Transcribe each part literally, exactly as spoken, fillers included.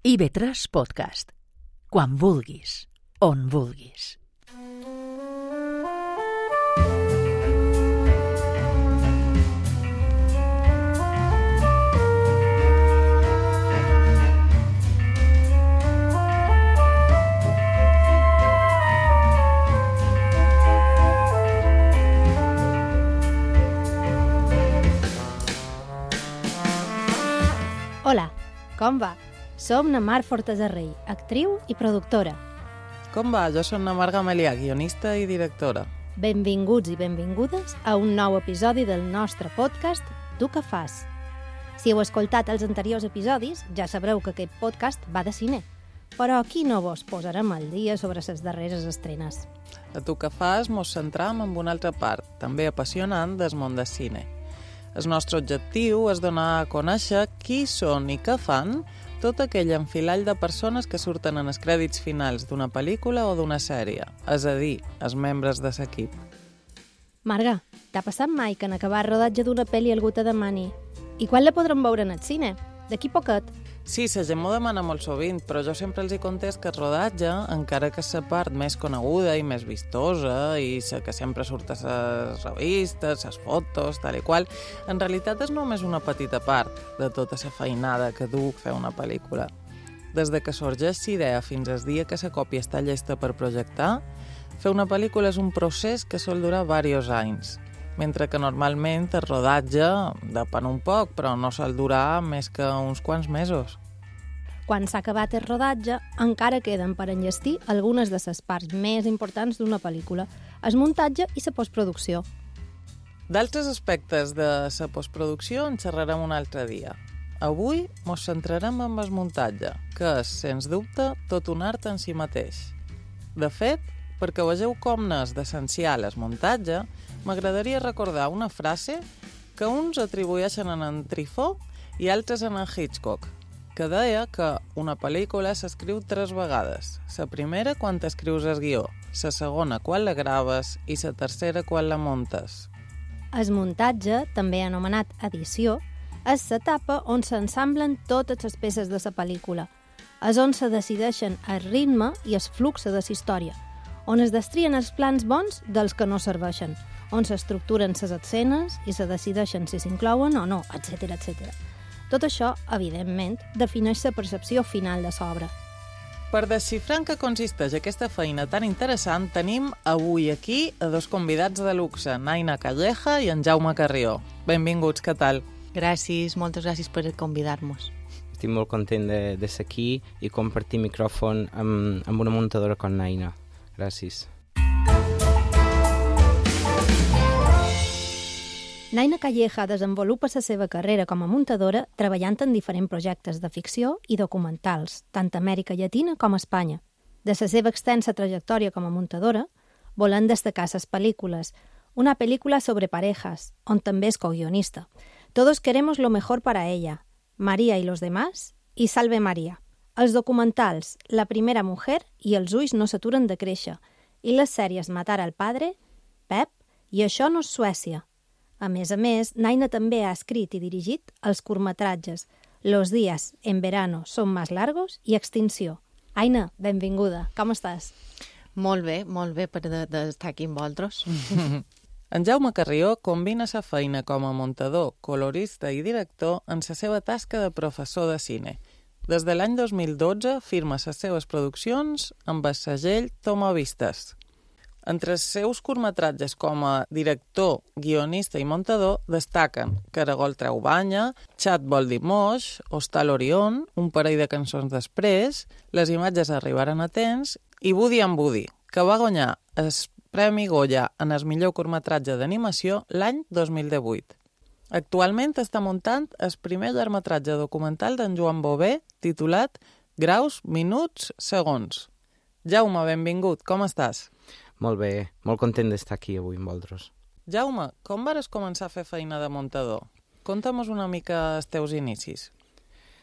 I ve tres Podcast. Quan vulguis, on vulguis. Hola, com va? Som na Mar Fortasarrey, actriu i productora. Com va? Jo soc na Mar Gamelià, guionista i directora. Benvinguts i benvingudes a un nou episodi del nostre podcast Tu què fas? Si heu escoltat els anteriors episodis, ja sabreu que aquest podcast va de cine. Però aquí no vos posarem al dia sobre les darreres estrenes. A Tu què fas mos centram en una altra part, també apassionant del món del cine. El nostre objectiu és donar a conèixer qui són i què fan tot aquell enfilall de persones que surten en els crèdits finals d'una pel·lícula o d'una sèrie, és a dir, els membres de l'equip. Marga, t'ha passat mai que en acabar el rodatge d'una pel·li algú te demani i quan la podrem veure en el cine? D'aquí poquet? Sí, la gent m'ho demana molt sovint, però jo sempre els hi contest que el rodatge, encara que és la part més coneguda i més vistosa i la que sempre surt a les revistes, les fotos, tal i qual, en realitat és només una petita part de tota la feinada que du fer una pel·lícula. Des de que sorgeix l'idea fins al dia que la còpia està llesta per projectar, fer una pel·lícula és un procés que sol durar diversos anys, mentre que normalment el rodatge depèn un poc, però no sol durar més que uns quants mesos. Quan s'ha acabat el rodatge, encara queden per enllestir algunes de les parts més importants d'una pel·lícula, el muntatge i la postproducció. D'altres aspectes de la postproducció en xerrarem un altre dia. Avui ens centrarem en el muntatge, que és, sens dubte, tot un art en si mateix. De fet, perquè vegeu com n'és d'essencial el muntatge, m'agradaria recordar una frase que uns atribueixen a en Truffaut i altres a en Hitchcock, que deia que una pel·lícula s'escriu tres vegades. La primera quan t'escrius el guió, la segona quan la graves i la tercera quan la muntes. El muntatge, també anomenat edició, és l'etapa on s'ensamblen totes les peces de la pel·lícula. És on se decideixen el ritme i el flux de la història, on es destrien els plans bons dels que no serveixen, on s'estructuren les escenes i se decideixen si s'inclouen o no, etcètera, etcètera. Tot això, evidentment, defineix la percepció final de l'obra. Per desxifrar en què consisteix aquesta feina tan interessant, tenim avui aquí a dos convidats de luxe, Naina Calleja i en Jaume Carrió. Benvinguts, què tal? Gràcies, moltes gràcies per convidar-nos. Estic molt content de, de ser aquí i compartir micròfon amb, amb una muntadora com Naina. Gràcies. Naina Calleja desenvolupa la seva carrera com a muntadora treballant en diferents projectes de ficció i documentals, tant a Amèrica Llatina com a Espanya. De la seva extensa trajectòria com a muntadora, volem destacar les pel·lícules, una pel·lícula sobre parejas, on també és coguionista, Todos queremos lo mejor para ella, María y los demás i Salve María. Els documentals La primera mujer i Els ulls no s'aturen de créixer i les sèries Matar al padre, Pep i Això no és Suècia. A més a més, Naina també ha escrit i dirigit els curtmetratges Los días en verano son más largos i Extinció. Aina, benvinguda. Com estàs? Molt bé, molt bé per de, de estar aquí amb vosaltres. En Jaume Carrió combina sa feina com a muntador, colorista i director en la seva tasca de professor de cine. Des de l'any dos mil dotze firma les seves produccions amb el segell Toma Vistes. Entre els seus curtmetratges com a director, guionista i muntador destaquen Caragol treu banya, Xat vol dir moix, Hostal Orion, Un parell de cançons després, Les imatges arribaren a temps i Woody and Woody, que va guanyar el Premi Goya en el millor curtmetratge d'animació l'any dos mil divuit. Actualment està muntant el primer llargmetratge documental d'en Joan Bové titulat Graus, minuts, segons. Jaume, benvingut, com estàs? Molt bé, molt content d'estar aquí avui amb vosaltres. Jaume, com vares començar a fer feina de muntador? Conta'm una mica els teus inicis.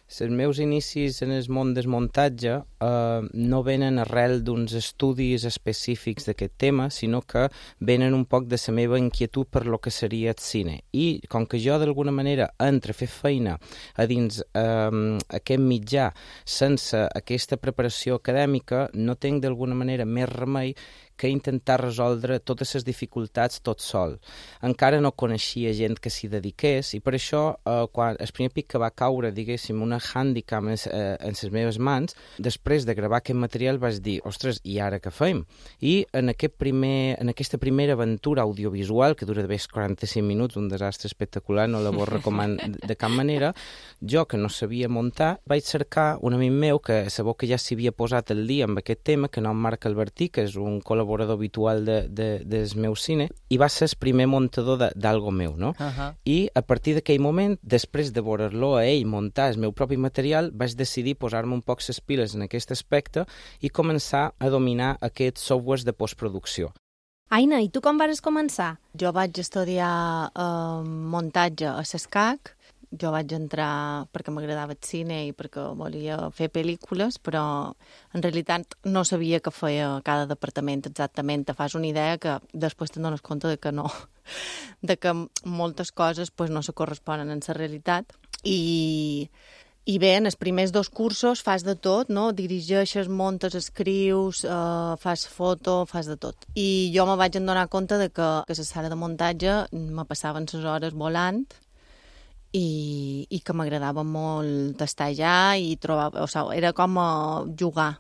Els meus inicis en el món del muntatge eh, no venen arrel d'uns estudis específics d'aquest tema, sinó que venen un poc de la meva inquietud per lo que seria el cine. I com que jo d'alguna manera entro a fer feina a dins eh, aquest mitjà sense aquesta preparació acadèmica, no tinc d'alguna manera més remei que intentar resoldre totes les dificultats tot sol. Encara no coneixia gent que s'hi dediqués i per això, eh, quan el primer pic que va caure, diguéssim, una hàndicap en, eh, en les meves mans, després de gravar aquest material vaig dir, ostres, i ara què fem? I en, aquest primer, en aquesta primera aventura audiovisual, que dura d'haver quaranta-cinc minuts, un desastre espectacular, no la vos recomano de cap manera, jo que no sabia muntar, vaig cercar un amic meu que sabeu que ja s'hi havia posat el dia amb aquest tema, que no Marc Albertí, que és un col·laborador habitual de, de, del meu cine, i va ser el primer muntador d'algo meu, no? Uh-huh. I a partir d'aquell moment, després de veure-lo a ell muntar el meu propi material, vaig decidir posar-me un poc les piles en aquest aspecte i començar a dominar aquests softwares de postproducció. Aina, i tu com vas començar? Jo vaig estudiar eh, muntatge a l'ESCAC. Jo vaig entrar perquè m'agradava el cine i perquè volia fer pel·lícules, però en realitat no sabia què feia cada departament exactament. Te fas una idea que després te'n dones compte de que no, de que moltes coses pues, no se corresponen en la realitat. I, i bé, en els primers dos cursos fas de tot, no? Dirigeixes, montes, escrius, eh, fas foto, fas de tot. I jo me vaig adonar compte de que, que a la sala de muntatge me passaven les hores volant i, i que m'agradava molt estar allà i trobar, o sigui, era com a jugar.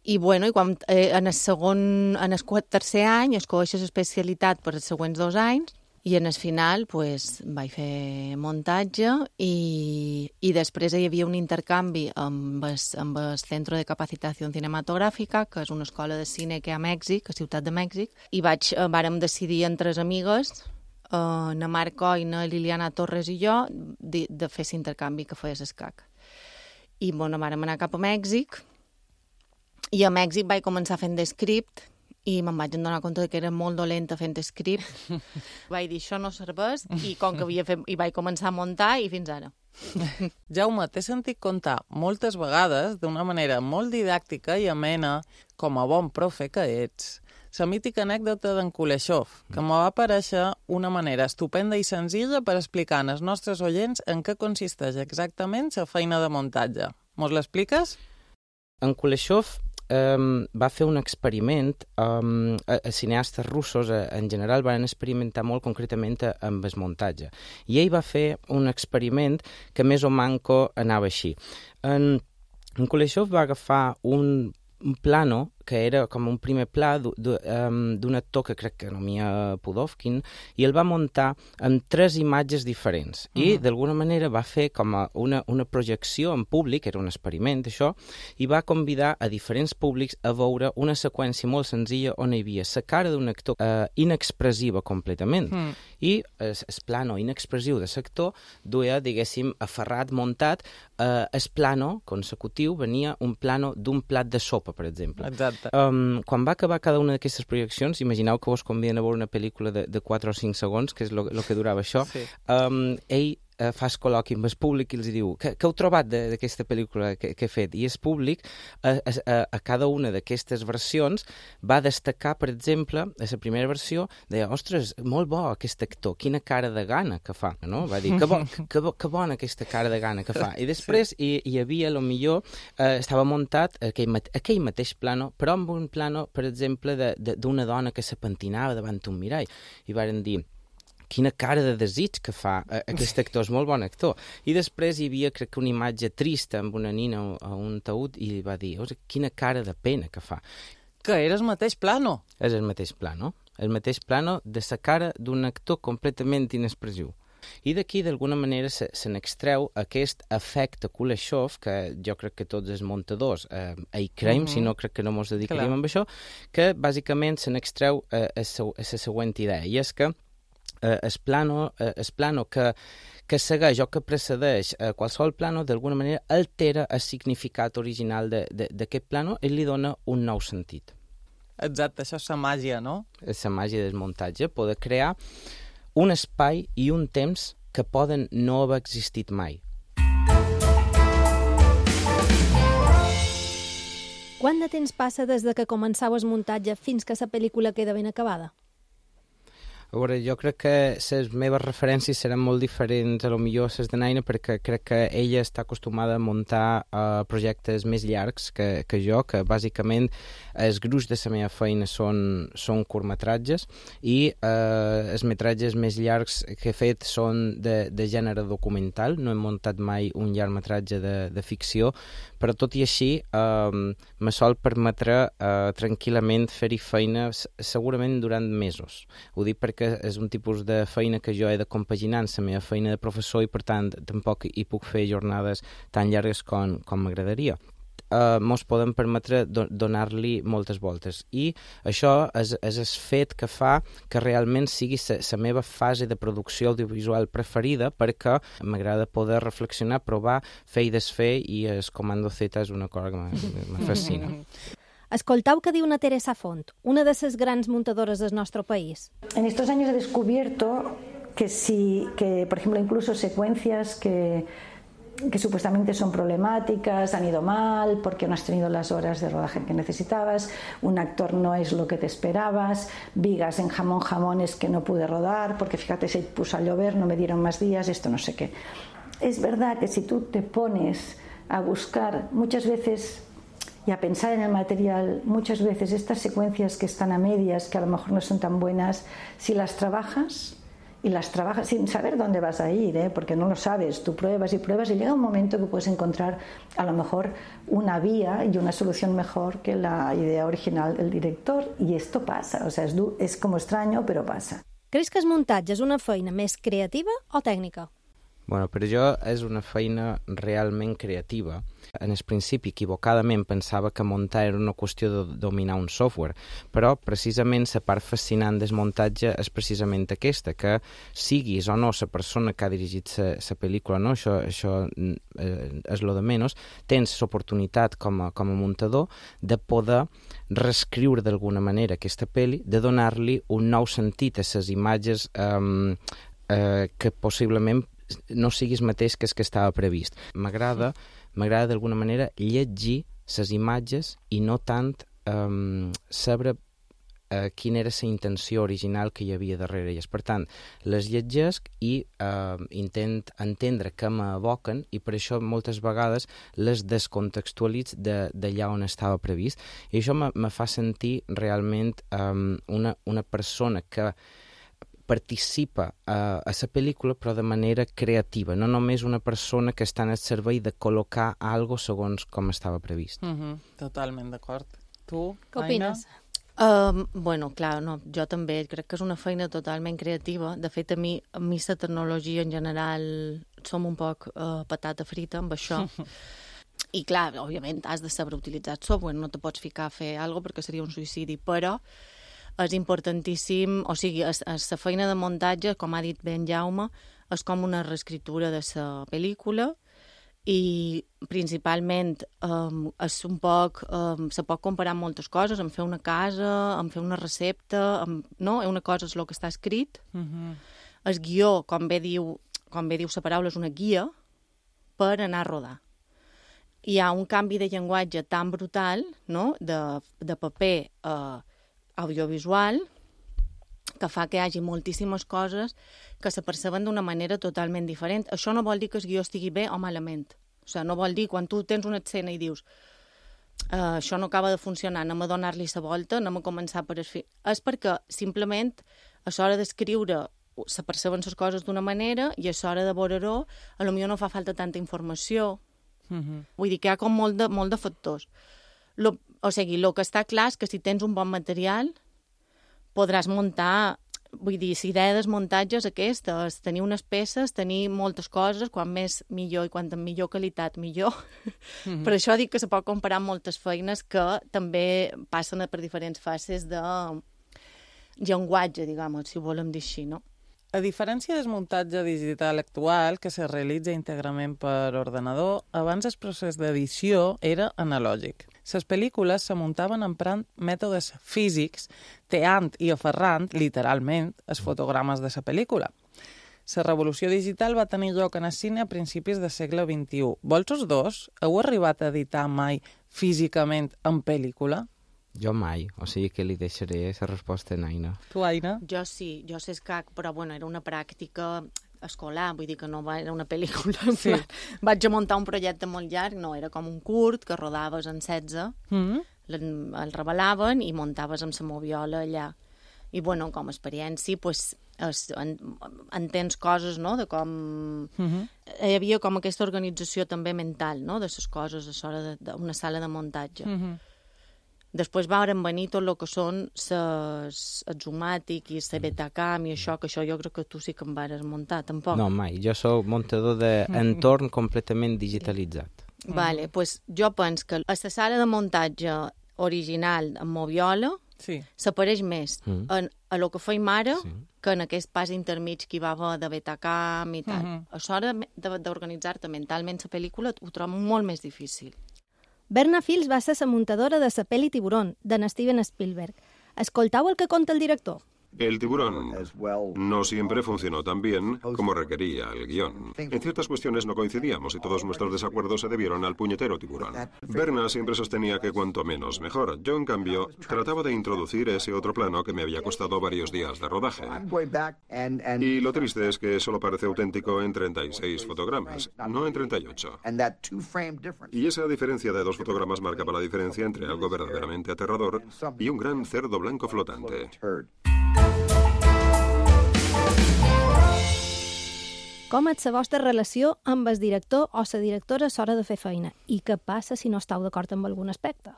I bueno, i quan, eh, en el segon, en el tercer any escolleixes especialitat per els següents dos anys i en el final pues, vaig fer muntatge i, i després hi havia un intercanvi amb el, amb el Centro de Capacitació Cinematogràfica, que és una escola de cine que hi ha a Mèxic, a Ciutat de Mèxic, i vaig, vàrem decidir entre les amigues, Uh, na Mar Coina, Liliana Torres i jo, de, de fer l'intercanvi que feia l'ESCAC. I, bueno, vàrem anar cap a Mèxic, i a Mèxic vaig començar fent d'escript, i me'n vaig adonar compte que era molt dolenta fent script. Vaig dir, això no serveix, i com que havia fet, i vaig començar a muntar, i fins ara. Jaume, t'he sentit contar moltes vegades, d'una manera molt didàctica i amena, com a bon profe que ets, la mítica anècdota d'en Kuleshov, que m'ho va aparèixer una manera estupenda i senzilla per explicar als nostres oients en què consisteix exactament la feina de muntatge. Mos l'expliques? En Kuleshov um, va fer un experiment, um, a, a cineastes russos a, en general van experimentar molt concretament a, amb el muntatge. I ell va fer un experiment que més o manco anava així. En, en Kuleshov va agafar un, un plano que era com un primer pla d'un actor que crec que anomia Pudovkin, i el va muntar amb tres imatges diferents. Uh-huh. I, d'alguna manera, va fer com una, una projecció en públic, era un experiment, això, i va convidar a diferents públics a veure una seqüència molt senzilla on hi havia la cara d'un actor eh, inexpressiva completament. Uh-huh. I el, el plano inexpressiu de l'actor duia, diguéssim, aferrat, muntat, eh, el plano consecutiu venia un plano d'un plat de sopa, per exemple. Exacte. Um, quan va acabar cada una d'aquestes projeccions, imagineu que vos conviden a veure una pel·lícula de, de quatre o cinc segons, que és el que durava això, sí. um, ell uh, fa el col·loqui amb el públic i els diu, què heu trobat d'aquesta pel·lícula que, que he fet? I el públic, a, a, a cada una d'aquestes versions, va destacar, per exemple, a la primera versió, deia, ostres, molt bo aquest actor, quina cara de gana que fa, no? Va dir, que, bo, que, bo, que bona aquesta cara de gana que fa. I després sí. hi, hi havia, a lo millor, eh, estava muntat aquell, mate, aquell mateix plano, però amb un plano, per exemple, d'una dona que se pentinava davant un mirall. I varen dir, quina cara de desig que fa aquest actor, és molt bon actor. I després hi havia, crec que una imatge trista amb una nina a un taüt i va dir, quina cara de pena que fa. Que era el mateix plano. És el mateix plano. El mateix plano de la cara d'un actor completament inexpressiu. I d'aquí, d'alguna manera, se, se n'extreu aquest efecte Kuleshov, que jo crec que tots els muntadors eh, hi creiem, mm-hmm. si no crec que no mos dedicaríem Clar. amb això, que bàsicament se n'extreu eh, a la següent idea, i és que eh, el plano, eh, el plano que, que segueix o que precedeix eh, qualsevol plano, d'alguna manera altera el significat original d'aquest plano i li dona un nou sentit. Exacte, això és la màgia, no? És la màgia del muntatge, poder crear un espai i un temps que poden no haver existit mai. Quant de temps passa des de que començau el muntatge fins que la pel·lícula queda ben acabada? A veure, jo crec que les meves referències seran molt diferents a lo millor les de Naina, perquè crec que ella està acostumada a muntar uh, projectes més llargs que, que jo, que bàsicament el gruix de la meva feina són, són curtmetratges i uh, els metratges més llargs que he fet són de, de gènere documental. No he muntat mai un llargmetratge de, de ficció, però tot i així uh, me sol permetre uh, tranquil·lament fer-hi feina segurament durant mesos. Ho dic perquè que és un tipus de feina que jo he de compaginar amb la meva feina de professor i, per tant, tampoc hi puc fer jornades tan llargues com, com m'agradaria. Uh, mos podem permetre do donar-li moltes voltes. I això és, és el fet que fa que realment sigui la meva fase de producció audiovisual preferida, perquè m'agrada poder reflexionar, provar, fer i desfer, i el Comando Z és una cosa que me fascina. Escoltau que diu una Teresa Font, una de les grans muntadores del nostre país. En estos años he descubierto que si, que por ejemplo, incluso secuencias que, que supuestamente son problemáticas, han ido mal porque no has tenido las horas de rodaje que necesitabas, un actor no es lo que te esperabas, vigas en jamón jamones que no pude rodar porque fíjate se puso a llover, no me dieron más días, esto no sé qué. Es verdad que si tú te pones a buscar muchas veces y a pensar en el material, muchas veces estas secuencias que están a medias, que a lo mejor no son tan buenas, si las trabajas, y las trabajas sin saber dónde vas a ir, ¿eh? Porque no lo sabes, tú pruebas y pruebas y llega un momento que puedes encontrar a lo mejor una vía y una solución mejor que la idea original del director, y esto pasa, o sea, es, es como extraño, però passa. Creus que el muntatge és una feina més creativa o tècnica? Bueno, per jo és una feina realment creativa. En el principi, equivocadament, pensava que muntar era una qüestió de dominar un software, però precisament la part fascinant del muntatge és precisament aquesta, que siguis o no la persona que ha dirigit la pel·lícula, no? Això, això eh, és lo de menys, tens l'oportunitat com a, com a muntador de poder reescriure d'alguna manera aquesta pel·li, de donar-li un nou sentit a les imatges eh, eh, que possiblement no siguis mateix que el que estava previst. M'agrada, m'agrada d'alguna manera llegir les imatges i no tant um, saber uh, quina era la intenció original que hi havia darrere elles. Per tant, les llegesc i uh, intent entendre què m'evoquen, i per això moltes vegades les descontextualitz d'allà de, on estava previst. I això me, me fa sentir realment um, una, una persona que participa a, a la pel·lícula, però de manera creativa, no només una persona que està en el servei de col·locar algo segons com estava previst. Mm-hmm. Totalment d'acord. Tu, què opines? Uh, bueno, clar, no, jo també crec que és una feina totalment creativa. De fet, a mi, a mi la tecnologia en general som un poc uh, patata frita amb això. I clar, òbviament has de saber utilitzar el software, no te pots ficar a fer alguna cosa perquè seria un suïcidi, però és importantíssim, o sigui, la feina de muntatge, com ha dit ben Jaume, és com una reescritura de la pel·lícula, i principalment um, és un poc, um, se pot comparar amb moltes coses, en fer una casa, en fer una recepta, amb, no? Una cosa és el que està escrit, uh-huh. El guió, com bé diu, com bé diu la paraula, és una guia per anar a rodar. Hi ha un canvi de llenguatge tan brutal, no? de, de paper a uh, audiovisual, que fa que hi hagi moltíssimes coses que se perceben d'una manera totalment diferent. Això no vol dir que el guió estigui bé o malament. O sigui, no vol dir, quan tu tens una escena i dius uh, això no acaba de funcionar, anem a donar-li la volta, anem a començar per el fi. És perquè, simplement, a l'hora d'escriure se perceben les coses d'una manera i a l'hora de veure-ho, a lo millor no fa falta tanta informació. Uh-huh. Vull dir que hi ha com molt de, molt de factors. Lo, o sigui, el que està clar és que si tens un bon material podràs muntar, vull dir, la idea del muntatge és aquesta, és tenir unes peces, tenir moltes coses, quan més millor i quan amb millor qualitat millor. Mm-hmm. Per això dic que se pot comparar amb moltes feines que també passen per diferents fases de llenguatge, diguem, si ho volem dir així, no? A diferència del muntatge digital actual, que se realitza íntegrament per ordenador, abans el procés d'edició era analògic. Les pel·lícules se muntaven emprant mètodes físics, teant i aferrant, literalment, els fotogrames de la pel·lícula. La revolució digital va tenir lloc en el cine a principis del segle vint-i-u. Vols dos? Heu arribat a editar mai físicament en pel·lícula? Jo mai, o sigui que li deixaré la resposta a Aina. Tu, Aina? Jo sí, jo sé escac, però bueno, era una pràctica escolar, vull dir que no va, era una pel·lícula. Sí. Vaig a muntar un projecte molt llarg, no, era com un curt que rodaves en setze, mm. el revelaven i muntaves amb la moviola allà. I bueno, com a experiència, pues, es, en, entens coses, no?, de com... Mm-hmm. Hi havia com aquesta organització també mental, no?, de les coses a l'hora d'una sala de muntatge. Mm-hmm. Després varen venir tot el que són ses, el Zomatic i el Betacam i això, que això jo crec que tu sí que em vares muntar, tampoc. No, mai. Jo soc muntador d'entorn completament digitalitzat. Sí. Vale, doncs pues jo penso que a la sala de muntatge original amb moviola sí. s'apareix més mm. en, a lo que feim ara sí. que en aquest pas intermig que hi va haver de Betacam i tal. Mm-hmm. A l'hora d'organitzar-te mentalment la pel·lícula ho trobo molt més difícil. Berna Fields va ser la muntadora de la pel·li Tiburón, de Steven Spielberg. Escoltau el que conta el director. El Tiburón no siempre funcionó tan bien como requería el guión. En ciertas cuestiones no coincidíamos y todos nuestros desacuerdos se debieron al puñetero tiburón. Berna siempre sostenía que cuanto menos mejor. Yo, en cambio, trataba de introducir ese otro plano que me había costado varios días de rodaje. Y lo triste es que solo parece auténtico en treinta y seis fotogramas, no en treinta y ocho. Y esa diferencia de dos fotogramas marcaba la diferencia entre algo verdaderamente aterrador y un gran cerdo blanco flotante. Com és la vostra relació amb el director o la directora a l'hora de fer feina? I què passa si no esteu d'acord amb algun aspecte?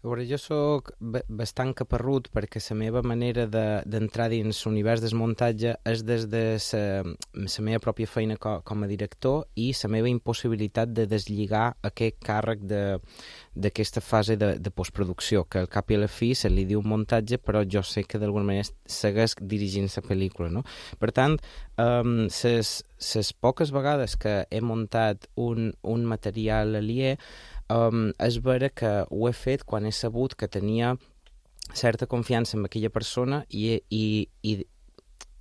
A veure, jo sóc bastant caparrut perquè la meva manera d'entrar de, dins l'univers del muntatge és des de la meva pròpia feina com, com a director i la meva impossibilitat de deslligar aquest càrrec d'aquesta fase de, de postproducció, que al cap i a la fi se li diu muntatge, però jo sé que d'alguna manera segueix dirigint la pel·lícula, no? Per tant, um, ses, ses poques vegades que he muntat un, un material aliè, Um, és vera que ho he fet quan he sabut que tenia certa confiança en aquella persona i, i, i,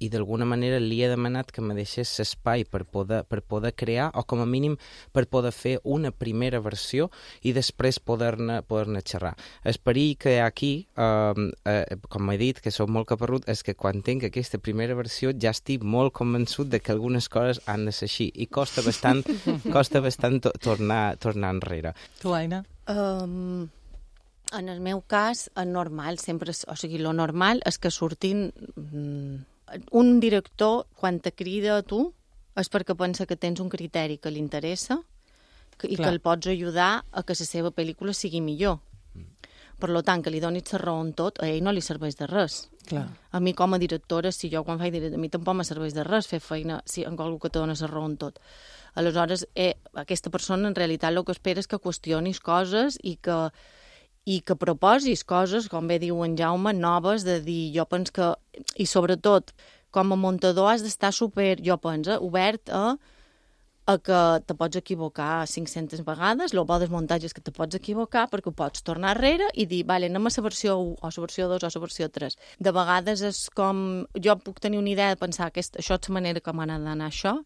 i d'alguna manera li he demanat que me deixés l'espai per poder, per poder crear o com a mínim per poder fer una primera versió i després poder-ne poder xerrar. El perill que hi ha aquí, um, eh, com he dit, que soc molt caparrut, és que quan tinc aquesta primera versió ja estic molt convençut de que algunes coses han de ser així i costa bastant, costa bastant to tornar, tornar enrere. Tu, Aina? Um, en el meu cas, és normal, sempre, o sigui, lo normal és que surtin... Mm, un director, quan te crida a tu, és perquè pensa que tens un criteri que li interessa que, i Clar. que el pots ajudar a que la seva pel·lícula sigui millor. Mm. Per tant, que li donis la raó en tot, a ell no li serveix de res. Clar. A mi, com a directora, si jo quan faig directora, a mi tampoc me serveix de res fer feina si en algú que te dona la raó en tot. Aleshores, eh, aquesta persona en realitat el que espera és que qüestionis coses i que i que proposis coses, com bé diu en Jaume, noves, de dir, jo penso que... I sobretot, com a muntador has d'estar super, jo penso, obert a, a que te pots equivocar cinc-centes vegades, el bo del muntatge és que te pots equivocar perquè ho pots tornar enrere i dir, vale, anem a la versió u, o la versió dos, o la versió tres. De vegades és com... Jo puc tenir una idea de pensar que això és la manera com ha d'anar això,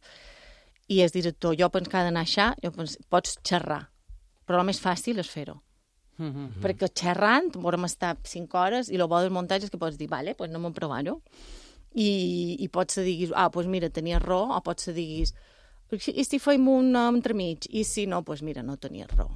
i el director, jo penso que ha d'anar això, jo penso, pots xerrar, però el més fàcil és fer-ho. Mm-hmm. Perquè xerrant, volem estar cinc hores i el bo del muntatge és que pots dir, vale, pues anem a provar-ho. I, i pots dir, ah, pues mira, tenies raó, o pots dir, i si fem un entremig? I si no, pues mira, no tenies raó.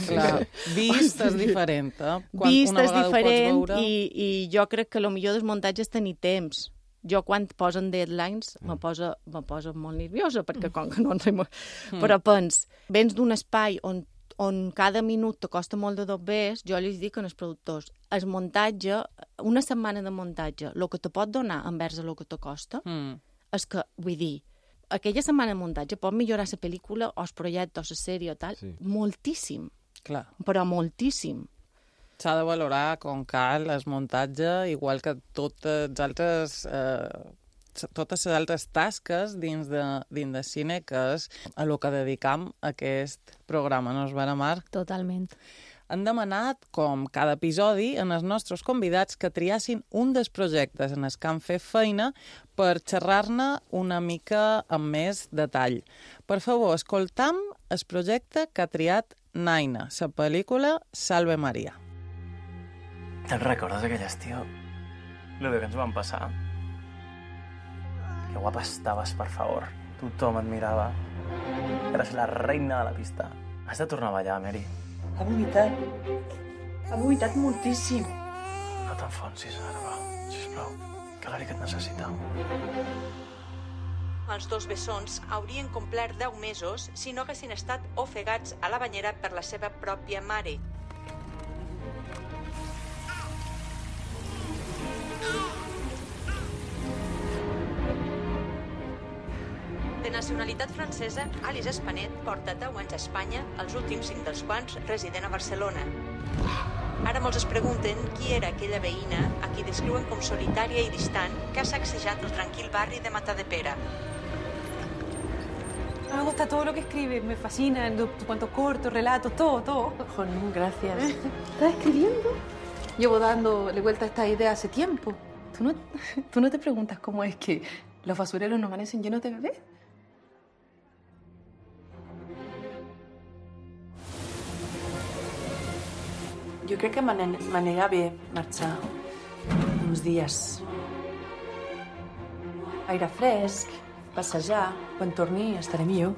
Clar, vist és diferent, eh? Quan vist és diferent veure... i, i jo crec que el millor del muntatge és tenir temps. Jo quan posen deadlines mm. me, posa, me posa molt nerviosa, perquè com que no en fem... Mm. Però pens, vens d'un espai on on cada minut te costa molt de dobbers, jo li dic als productors, el muntatge, una setmana de muntatge, el que te pot donar envers el que te costa, mm. és que, vull dir, aquella setmana de muntatge pot millorar la pel·lícula o el projecte o la sèrie o tal, sí. moltíssim. Clar. Però moltíssim. S'ha de valorar com cal el muntatge, igual que totes les altres... Eh... totes les altres tasques dins de, dins de cine, que és a lo que dedicam aquest programa, no és vera, Marc? Totalment. Han demanat, com cada episodi, en els nostres convidats que triassin un dels projectes en els que han fet feina per xerrar-ne una mica amb més detall. Per favor, escoltam el projecte que ha triat Naina, la pel·lícula Salve Maria. Te'n recordes aquell estiu? Lo que ens van passar? Que guapa estaves, per favor. Tothom et mirava. Eres la reina de la pista. Has de tornar a ballar, Mary. Ha vomitat. Ha vomitat moltíssim. No t'enfonsis ara, va. Sisplau, que l'Eric et necessita. Els dos bessons haurien complert deu mesos si no haguessin estat ofegats a la banyera per la seva pròpia mare. De nacionalitat francesa, Alice Espanet porta deu anys a Espanya, els últims cinc dels quals resident a Barcelona. Ara molts es pregunten qui era aquella veïna a qui descriuen com solitària i distant que ha sacsejat el tranquil barri de Matadepera. Me gusta todo lo que escribe, me fascina, tus cuentos cortos, relatos, todo, todo. Jolín, gracias. ¿Estás escribiendo? Llevo dándole vuelta a esta idea hace tiempo. ¿Tú no, ¿Tú no te preguntas cómo es que los basureros no amanecen llenos de bebés? Jo crec que m'anirà bé marxar uns dies. Aire fresc, passejar, quan torni estaré millor.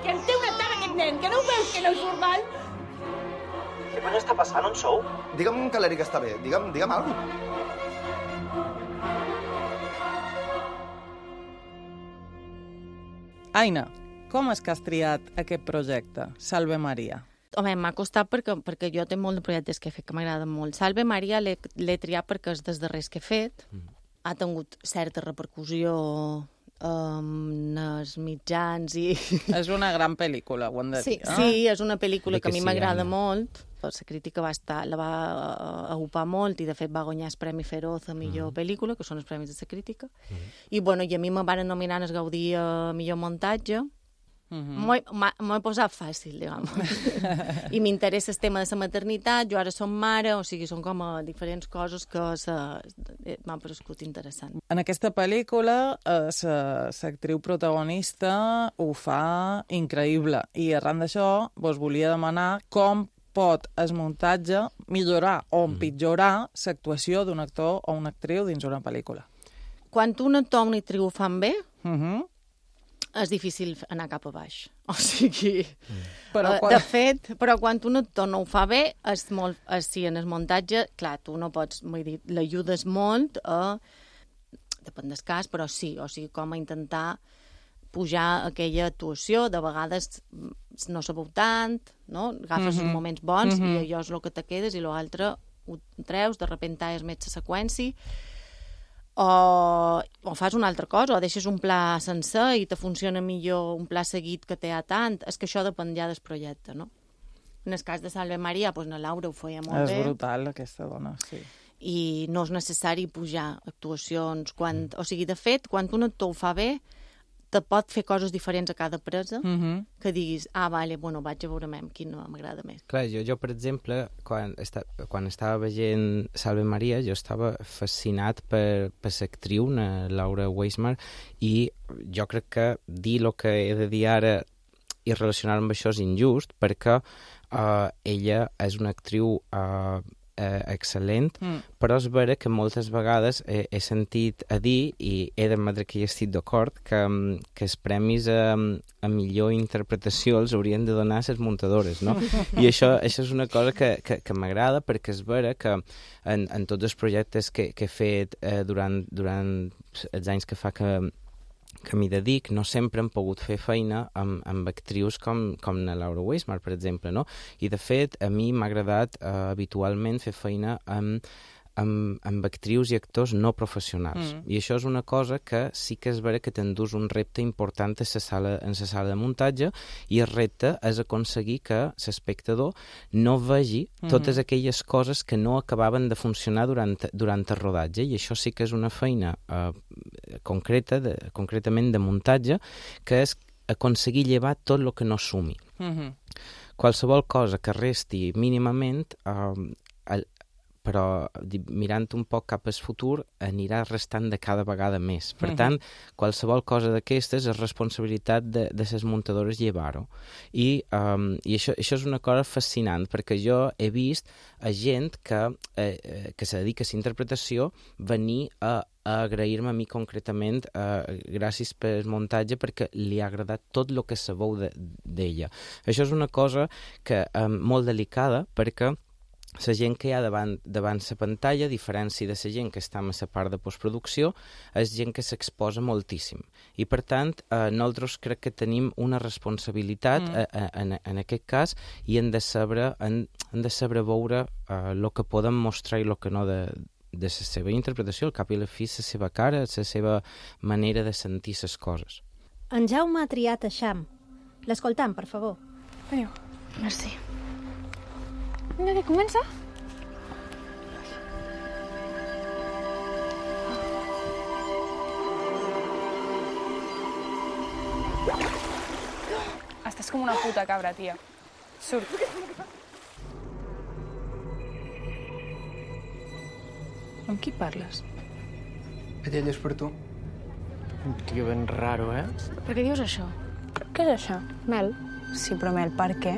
Que em té una tara aquest nen, que no ho veus que no és normal? Què conya està passant? On sou? Digue'm que l'Eric està bé, digue'm, digue'm alguna cosa. Aina, com és que has triat aquest projecte, Salve Maria? Home, m'ha costat perquè, perquè jo tinc molt de projectes que he fet que m'agraden molt. Salve Maria l'he triat perquè és dels darrers que he fet. Mm. Ha tingut certa repercussió en els mitjans i... És una gran pel·lícula, ho hem de dir. Sí, eh? sí, és una pel·lícula que, que a mi sí, m'agrada Anna. molt. La crítica va estar, la va agupar molt i, de fet, va guanyar el Premi Feroz a millor mm. pel·lícula, que són els premis de la crítica. Mm. I, bueno, i a mi me van nominar el Gaudí a millor muntatge. Mm-hmm. M'ho he posat fàcil, diguem. I m'interessa el tema de la maternitat, jo ara som mare, o sigui, són com a diferents coses que m'han parescut interessant. En aquesta pel·lícula, l'actriu protagonista ho fa increïble, i arran d'això vos volia demanar com pot el muntatge millorar o empitjorar l'actuació d'un actor o una actriu dins una pel·lícula. Quan un actor o una actriu ho fan bé, mm-hmm. és difícil anar cap a baix. O sigui, mm. però quan... de fet, però quan un actor no ho fa bé, és molt, és, sí, en el muntatge, clar, tu no pots, vull dir, l'ajudes molt a... Depèn del cas, però sí, o sigui, com a intentar pujar aquella actuació, de vegades no sabeu tant, no? Agafes mm-hmm. els moments bons mm-hmm. i allò és el que te quedes i l'altre ho treus, de repente és més la seqüència, o, o fas una altra cosa, o deixes un pla sencer i te funciona millor un pla seguit que té a tant. És que això depèn ja del projecte, no? En el cas de Salve Maria, doncs la Laura ho feia molt és bé. És brutal, aquesta dona, sí. I no és necessari pujar actuacions. Quan, mm. O sigui, de fet, quan un actor ho fa bé, te pot fer coses diferents a cada presa, mm-hmm. que diguis, ah, vale, bueno, vaig a veure amb quin no m'agrada més. Clar, jo, jo per exemple, quan, esta, quan estava veient Salve Maria, jo estava fascinat per, per l'actriu, Laura Weismar, i jo crec que dir el que he de dir ara i relacionar amb això és injust, perquè uh, ella és una actriu uh, eh, excel·lent, mm. però és vera que moltes vegades he, he sentit a dir, i he d'admetre que hi estic d'acord, que, que els premis a, a millor interpretació els haurien de donar les muntadores, no? I això, això és una cosa que, que, que m'agrada, perquè és vera que en, en tots els projectes que, que he fet eh, durant, durant els anys que fa que que m'hi dedic, no sempre hem pogut fer feina amb, amb actrius com, com la Laura Weismar, per exemple, no? I, de fet, a mi m'ha agradat eh, habitualment fer feina amb, amb, amb actrius i actors no professionals. Mm. I això és una cosa que sí que és vera que t'endús un repte important a la sala, en la sala de muntatge, i el repte és aconseguir que l'espectador no vegi mm-hmm. totes aquelles coses que no acabaven de funcionar durant, durant el rodatge, i això sí que és una feina eh, concreta, de, concretament de muntatge, que és aconseguir llevar tot el que no sumi. Mm-hmm. Qualsevol cosa que resti mínimament, eh, el, però mirant un poc cap al futur anirà restant de cada vegada més. Per tant, qualsevol cosa d'aquestes és responsabilitat de, de les muntadores llevar-ho. I, um, i això, això és una cosa fascinant, perquè jo he vist a gent que, eh, que se dedica a la interpretació venir a a agrair-me a mi concretament eh, gràcies pel muntatge perquè li ha agradat tot el que sabeu d'ella. Això és una cosa que eh, molt delicada perquè la gent que hi ha davant, davant la pantalla, a diferència de la gent que està a la part de postproducció, és gent que s'exposa moltíssim. I, per tant, eh, nosaltres crec que tenim una responsabilitat mm. eh, en, en aquest cas i hem de saber, hem, hem de saber veure el eh, que podem mostrar i el que no de de la seva interpretació, al cap i la fi, la seva cara, la seva manera de sentir les coses. En Jaume ha triat Eixam. L'escoltam, per favor. Veniu. Merci. Vinga, que comença? Estàs com una puta cabra, tia. Surt. Amb qui parles? Aquell és per tu. Un tio ben raro, eh? Per què dius això? Què és això? Mel. Sí, però Mel, per què?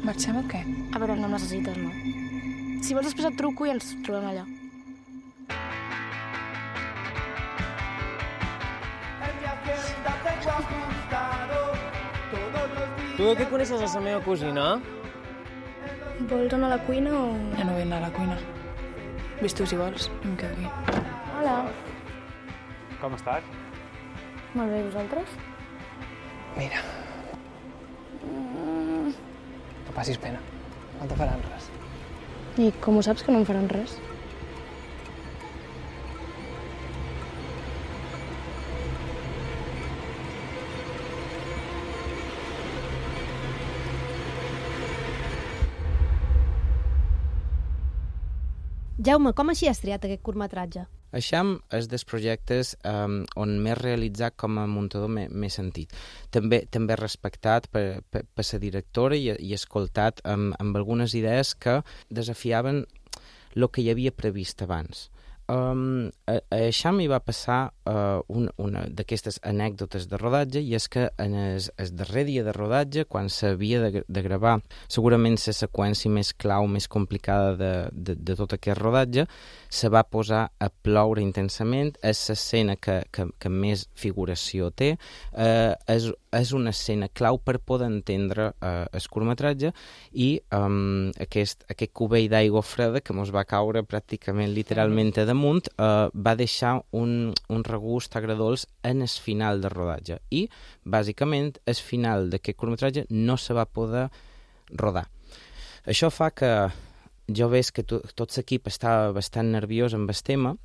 Marxem o què? A veure, no necessites, no. Si vols després et truco i ens trobem allà. Tu de què coneixes a la meva cosina? Vols anar a la cuina o...? Ja no vull anar a la cuina. Ves tu, si vols, jo em quedo aquí. Hola. Com estàs? Molt bé, i vosaltres? Mira. Mm. No passis pena. No te faran res. I com ho saps que no em faran res? Jaume, com així has triat aquest curtmetratge? Eixam és dels projectes um, on m'he realitzat com a muntador m'he sentit. També també respectat per, per, per la directora i, i escoltat amb, amb algunes idees que desafiaven el que hi havia previst abans. Um, a, a Eixam hi va passar uh, un, una d'aquestes anècdotes de rodatge i és que en el, el darrer dia de rodatge, quan s'havia de, de gravar segurament la seqüència més clau, més complicada de, de, de tot aquest rodatge, se va posar a ploure intensament. És l'escena que, que, que més figuració té, uh, és, és una escena clau per poder entendre uh, el curtmetratge i um, aquest, aquest cubell d'aigua freda que mos va caure pràcticament literalment a damunt uh, va deixar un, un regust agradolç en el final del rodatge i, bàsicament, el final d'aquest curtmetratge no se va poder rodar. Això fa que jo veig que to, tot l'equip estava bastant nerviós amb el tema,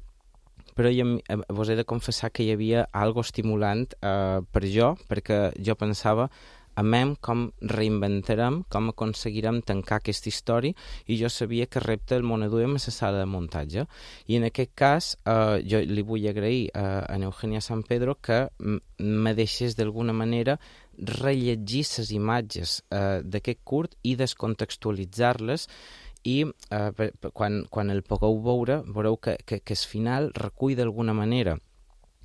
però jo vos he de confessar que hi havia algo estimulant uh, per jo, perquè jo pensava amem com reinventarem, com aconseguirem tancar aquesta història i jo sabia que repte el monaduem a la sala de muntatge. I en aquest cas eh, jo li vull agrair eh, a Eugenia San Pedro que me deixés d'alguna manera rellegir les imatges eh, d'aquest curt i descontextualitzar-les i eh, quan, quan el pugueu veure, veureu que, que, que el final recull d'alguna manera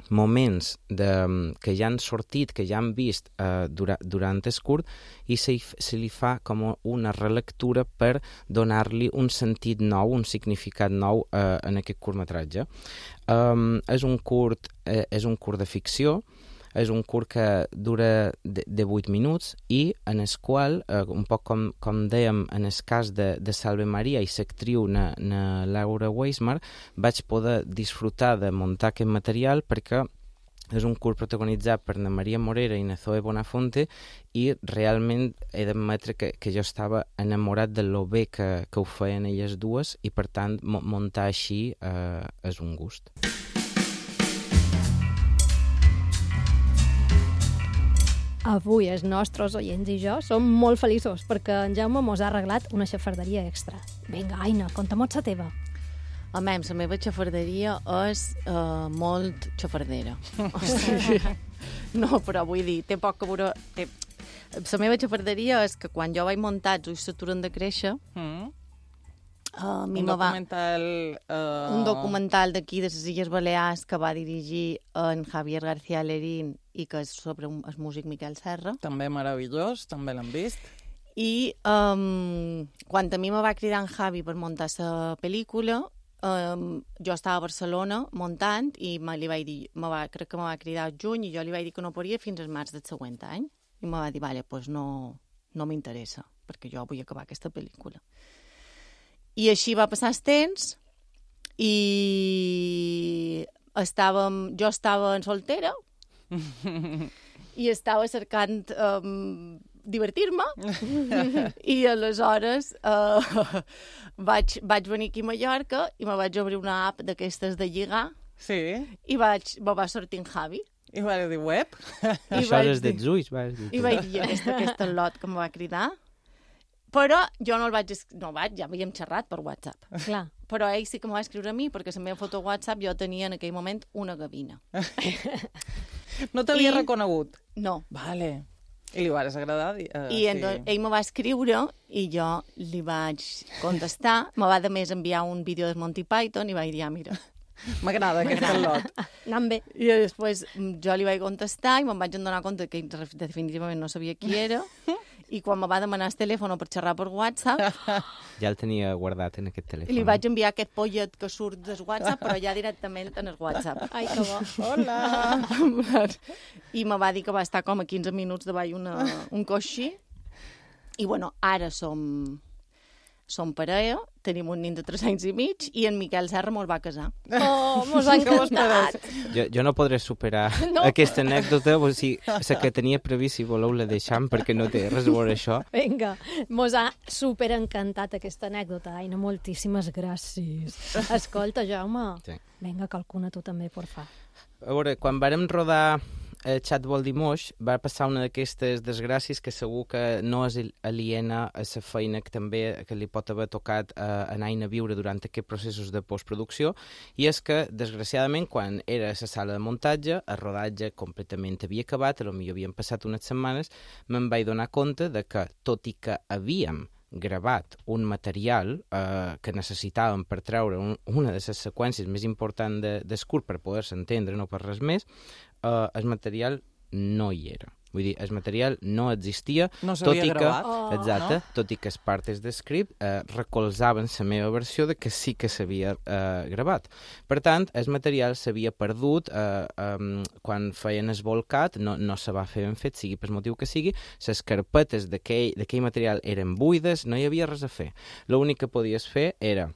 moments de, que ja han sortit, que ja han vist eh, dura, durant el curt i se, se li fa com una relectura per donar-li un sentit nou, un significat nou eh, en aquest curtmetratge. Um, és un curt, eh, és un curt de ficció, és un curt que dura de, de vuit minuts i en el qual, eh, un poc com, com dèiem en el cas de, de Salve Maria i l'actriu na, na Laura Weismar, vaig poder disfrutar de muntar aquest material perquè és un curt protagonitzat per na Maria Morera i na Zoe Bonafonte i realment he d'admetre que, que jo estava enamorat de lo bé que, que ho feien elles dues i per tant muntar així eh, és un gust. Avui els nostres oients i jo som molt feliços perquè en Jaume mos ha arreglat una xafarderia extra. Vinga, Aina, conta-mo't la teva. Home, la meva xafarderia és uh, molt xafardera. O sigui, no, però vull dir, té poc que veure... La meva xafarderia és que quan jo vaig muntar els ulls s'aturen de créixer, mm. Uh, un documental... Va... Uh... Un documental d'aquí, de les Illes Balears, que va dirigir en Javier García Lerín i que és sobre un, el músic Miquel Serra. També meravellós, també l'han vist. I um, quan a mi me va cridar en Javi per muntar la pel·lícula, um, jo estava a Barcelona muntant i me li vaig dir, me va, crec que me va cridar al juny i jo li vaig dir que no podria fins al març del següent any. I me va dir, vale, pues no, no m'interessa, perquè jo vull acabar aquesta pel·lícula. I així va passar el temps i estàvem, jo estava en soltera i estava cercant um, divertir-me i aleshores uh, vaig, vaig venir aquí a Mallorca i me vaig obrir una app d'aquestes de lligar sí. i vaig, me va sortir en Javi. I vaig dir web? I això és dels ulls, vas dir. I vaig dir aquesta, aquesta lot que me va cridar. Però jo no el vaig... No vaig, ja havíem xerrat per WhatsApp. Clar. Però ell sí que m'ho va escriure a mi, perquè la meva foto WhatsApp jo tenia en aquell moment una gavina. No t'havia I... reconegut? No. Vale. I li vas agradar? Uh, I sí. Ell me va escriure i jo li vaig contestar. Me va, de més, enviar un vídeo de Monty Python i vaig dir, ah, mira... M'agrada aquest lot. Anant bé. I després jo li vaig contestar i me'n vaig adonar compte que definitivament no sabia qui era. I quan me va demanar el telèfon per xerrar per WhatsApp... Ja el tenia guardat en aquest telèfon. I li vaig enviar aquest pollet que surt del WhatsApp, però ja directament en el WhatsApp. Ai, que bo. Hola! I me va dir que va estar com a quinze minuts davall una, un coixí. I, bueno, ara som... Som parella, tenim un nin de tres anys i mig i en Miquel Serra mos va casar. Oh, mos ha encantat! Jo, jo no podré superar no. aquesta anècdota, o sigui, la que tenia previst, si voleu la deixam, perquè no té res a veure això. Vinga, mos ha superencantat aquesta anècdota. Aina, moltíssimes gràcies. Escolta, Jaume, sí. Vinga, calcuna tu també, porfa. A veure, quan vàrem rodar el Xat vol dir moix, va passar una d'aquestes desgràcies que segur que no és aliena a la feina que també que li pot haver tocat a, a Aina viure durant aquests processos de postproducció, i és que, desgraciadament, quan era a la sala de muntatge, el rodatge completament havia acabat, potser havien passat unes setmanes, me'n vaig donar compte de que, tot i que havíem gravat un material eh, que necessitàvem per treure un, una de les seqüències més importants de, de curt per poder-se entendre, no per res més, eh, el material no hi era. Vull dir, el material no existia, no tot i gravat. que, oh, exacte, no? Tot i que les parts de script eh, recolzaven la meva versió de que sí que s'havia eh, gravat. Per tant, el material s'havia perdut eh, eh, quan feien el volcat, no, no se va fer ben fet, sigui per motiu que sigui, les carpetes d'aquell material eren buides, no hi havia res a fer. L'únic que podies fer era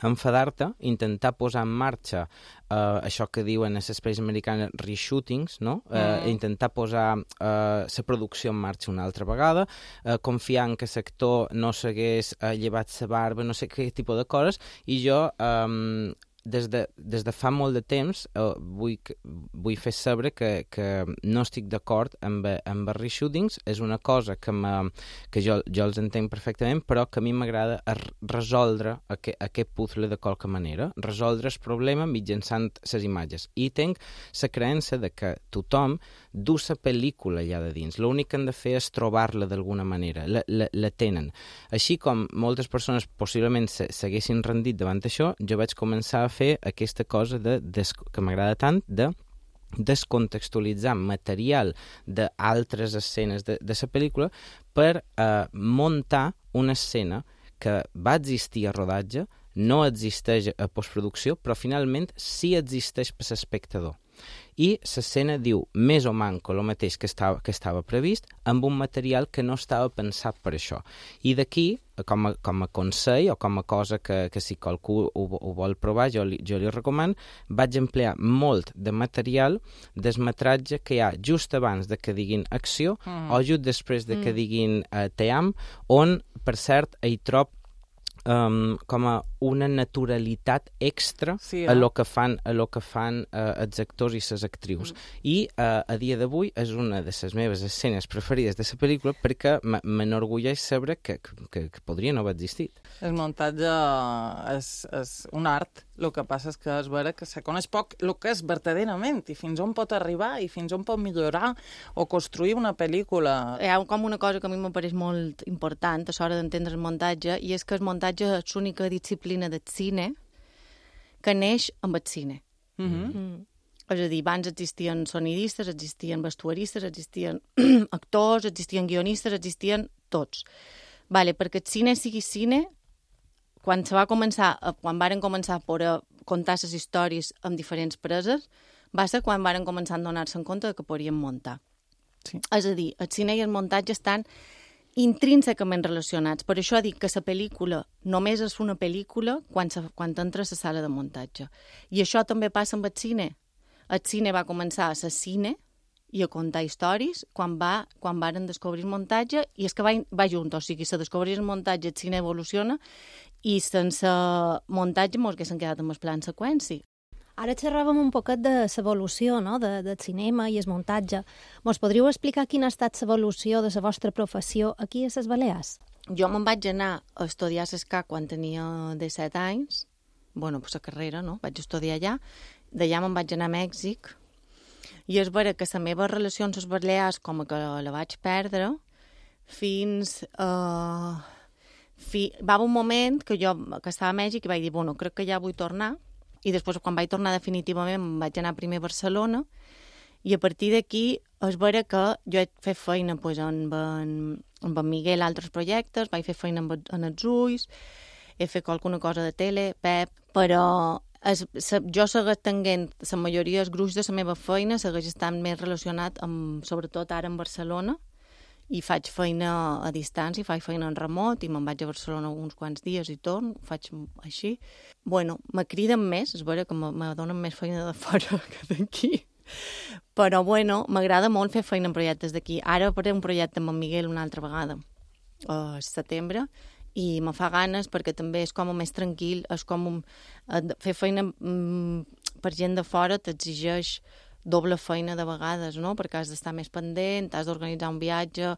enfadar-te, intentar posar en marxa uh, això que diuen a les pel·lis americanes reshootings, no? Uh, mm. Intentar posar uh, la producció en marxa una altra vegada, uh, confiar en que l'actor no s'hagués uh, llevat la barba, no sé què tipus de coses, i jo... Um, Des de, des de fa molt de temps uh, vull, vull fer saber que, que no estic d'acord amb, amb els reshootings. És una cosa que, que jo, jo els entenc perfectament, però que a mi m'agrada resoldre aquest, aquest puzzle de qualque manera, resoldre el problema mitjançant les imatges. I tinc la creença de que tothom du la pel·lícula allà de dins. L'únic que han de fer és trobar-la d'alguna manera. La, la, la tenen. Així com moltes persones possiblement s'haguessin rendit davant això, jo vaig començar a fer aquesta cosa de, de, que m'agrada tant, de descontextualitzar material d'altres escenes de, de la pel·lícula per eh, muntar una escena que va existir a rodatge, no existeix a postproducció, però finalment sí existeix per l'espectador. I l'escena diu més o manco el mateix que estava, que estava previst, amb un material que no estava pensat per això. I d'aquí, com a, com a consell o com a cosa que, que si qualcú ho, ho vol provar, jo li, jo li recomano, vaig emplear molt de material del metratge que hi ha just abans de que diguin acció mm. o just després de que mm. diguin uh, te am, on, per cert, hi trob Um, com a una naturalitat extra sí, eh? a lo que fan, a lo que fan uh, els actors i les actrius. Mm. I uh, a dia d'avui és una de les meves escenes preferides de la pel·lícula perquè m'enorgulleix saber que, que, que podria no haver existit. El muntatge és, és un art. El que passa és que és vera que se coneix poc el que és verdaderament i fins on pot arribar i fins on pot millorar o construir una pel·lícula. Hi ha com una cosa que a mi em pareix molt important a l'hora d'entendre el muntatge, i és que el muntatge és l'única disciplina del cine que neix amb el cine. Mm-hmm. Mm. És a dir, abans existien sonidistes, existien vestuaristes, existien actors, existien guionistes, existien tots. Vale, perquè el cine sigui cine, quan se va començar, quan varen començar a poder contar les històries amb diferents preses, va ser quan varen començar a donar-se en compte que podien muntar. Sí. És a dir, el cine i el muntatge estan intrínsecament relacionats. Per això dic que la pel·lícula només és una pel·lícula quan, se, quan entra a la sala de muntatge. I això també passa amb el cine. El cine va començar a ser cine i a contar històries quan, va, quan varen descobrir el muntatge, i és que va, va junt, o sigui, se descobreix el muntatge, el cine evoluciona, i sense muntatge mos haguessin quedat amb el plan seqüència. Ara xerràvem un poquet de l'evolució, no?, de, del cinema i el muntatge. Mos podríeu explicar quina ha estat l'evolució de la vostra professió aquí a les Balears? Jo me'n vaig anar a estudiar a l'Escac quan tenia disset anys, bueno, pues la carrera, no?, vaig estudiar allà, d'allà me'n vaig anar a Mèxic, i és vera que la meva relació amb les Balears com que la vaig perdre fins... Uh, fi, va haver un moment que jo que estava a Mèxic i vaig dir, bueno, crec que ja vull tornar, i després quan vaig tornar definitivament em vaig anar primer a Barcelona, i a partir d'aquí és vera que jo he fet feina pues, amb, en, amb en Miguel a altres projectes, vaig fer feina amb, en els ulls, he fet alguna cosa de tele, Pep, però... Es, se, jo segueix tenint, la majoria dels gruix de la meva feina segueix estant més relacionat amb, sobretot ara en Barcelona, i faig feina a distància, faig feina en remot, i me'n vaig a Barcelona uns quants dies i torno, ho faig així. Bueno, me criden més, és vera que me, me donen més feina de fora que d'aquí, però bueno, m'agrada molt fer feina en projectes d'aquí. Ara faré un projecte amb en Miguel una altra vegada, a setembre, i me fa ganes perquè també és com més tranquil, és com un, fer feina mm, per gent de fora t'exigeix doble feina de vegades, no? Perquè has d'estar més pendent, has d'organitzar un viatge,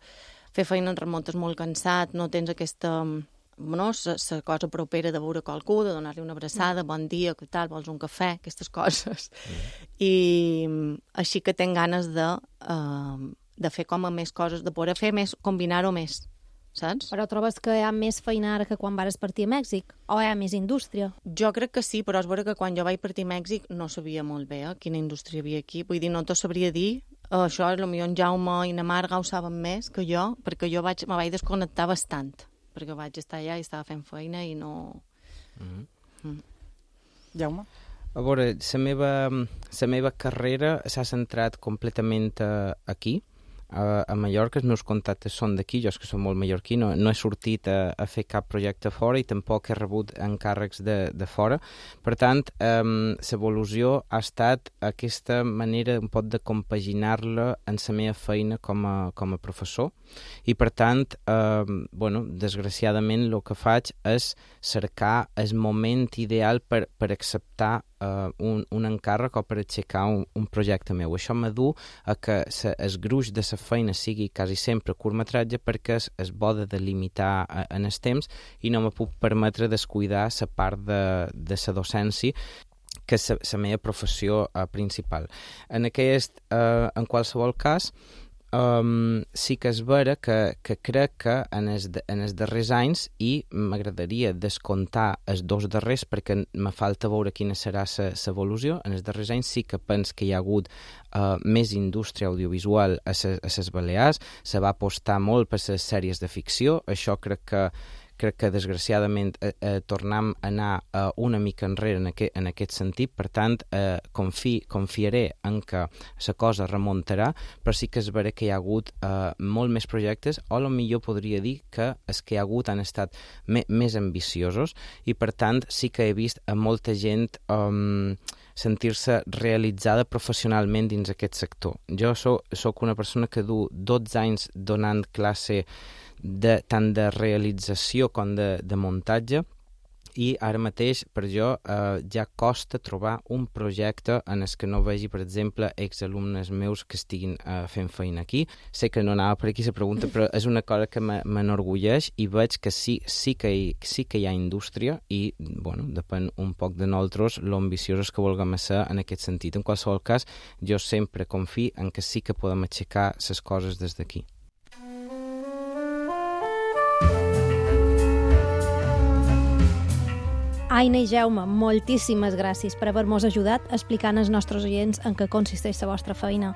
fer feina en remot és molt cansat, no tens aquesta, no, la cosa propera de veure qualcú, de donar-li una abraçada, bon dia, què tal, vols un cafè, aquestes coses. Mm. I així que tinc ganes de, uh, de fer com a més coses, de poder fer més, combinar-ho més. Saps? Però trobes que hi ha més feina ara que quan vares partir a Mèxic? O hi ha més indústria? Jo crec que sí, però és vera que quan jo vaig partir a Mèxic no sabia molt bé eh, quina indústria hi havia aquí. Vull dir, no t'ho sabria dir. Uh, això, potser en Jaume i na Marga ho saben més que jo, perquè jo vaig, me vaig desconnectar bastant, perquè vaig estar allà i estava fent feina i no... Mm-hmm. Mm. Jaume? A veure, la meva, la meva carrera s'ha centrat completament uh, aquí. A, a Mallorca els meus contactes són d'aquí, jo és que soc molt mallorquí, no, no he sortit a, a fer cap projecte fora i tampoc he rebut encàrrecs de, de fora. Per tant, um, l'evolució ha estat aquesta manera un poc de compaginar-la en la meva feina com a, com a professor, i per tant, um, bueno, desgraciadament el que faig és cercar el moment ideal per, per acceptar uh, un, un encàrrec o per aixecar un, un projecte meu. Això m'adu a que sa, el gruix de la feina sigui quasi sempre curtmetratge perquè es, es bo de delimitar a, en el temps i no me puc permetre descuidar la part de, de la docència que és la meva professió uh, principal. En aquest, uh, en qualsevol cas, Um, sí que és vera que, que crec que en els, en els darrers anys, i m'agradaria descomptar els dos darrers perquè me falta veure quina serà l'evolució, en els darrers anys sí que penso que hi ha hagut uh, més indústria audiovisual a les Balears, se va apostar molt per les sèries de ficció, això crec que crec que desgraciadament eh, eh, tornem a anar eh, una mica enrere en aquest, en aquest sentit, per tant eh, confi, confiaré en que la cosa remuntarà, però sí que és vera que hi ha hagut eh, molt més projectes, o potser podria dir que els que hi ha hagut han estat me, més ambiciosos, i per tant sí que he vist a molta gent um, sentir-se realitzada professionalment dins aquest sector. Jo soc, soc una persona que du dotze anys donant classe de, tant de realització com de, de muntatge, i ara mateix per jo uh, ja costa trobar un projecte en el que no vegi, per exemple, exalumnes meus que estiguin uh, fent feina aquí. Sé que no anava per aquí la pregunta, però és una cosa que m'enorgulleix i veig que sí, sí, que hi, sí que hi ha indústria i, bueno, depèn un poc de nosaltres lo ambiciosos que vulguem ser en aquest sentit. En qualsevol cas, jo sempre confio en que sí que podem aixecar les coses des d'aquí. Aina i Jaume, moltíssimes gràcies per haver-nos ajudat explicant als nostres oients en què consisteix la vostra feina.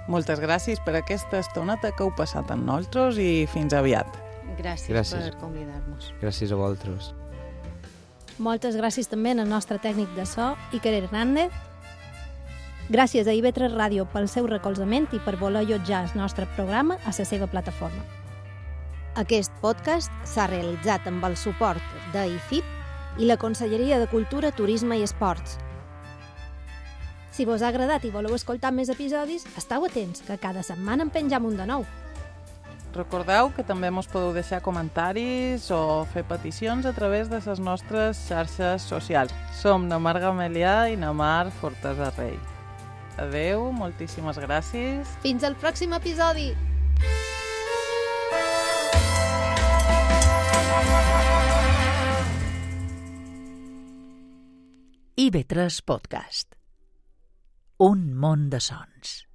Moltes gràcies per aquesta estoneta que heu passat amb nosaltres i fins aviat. Gràcies, gràcies. per convidar-nos. Gràcies a vosaltres. Moltes gràcies també al nostre tècnic de so, Iker Hernández. Gràcies a I V tres Ràdio pel seu recolzament i per voler allotjar el nostre programa a la seva plataforma. Aquest podcast s'ha realitzat amb el suport de I F I P i la Conselleria de Cultura, Turisme i Esports. Si vos ha agradat i voleu escoltar més episodis, esteu atents, que cada setmana en penjam un de nou. Recordeu que també mos podeu deixar comentaris o fer peticions a través de les nostres xarxes socials. Som na Mar Gamelià i na Mar Fortesa Rei. Adeu, moltíssimes gràcies. Fins al pròxim episodi! I V tres Podcast. Un món de sons.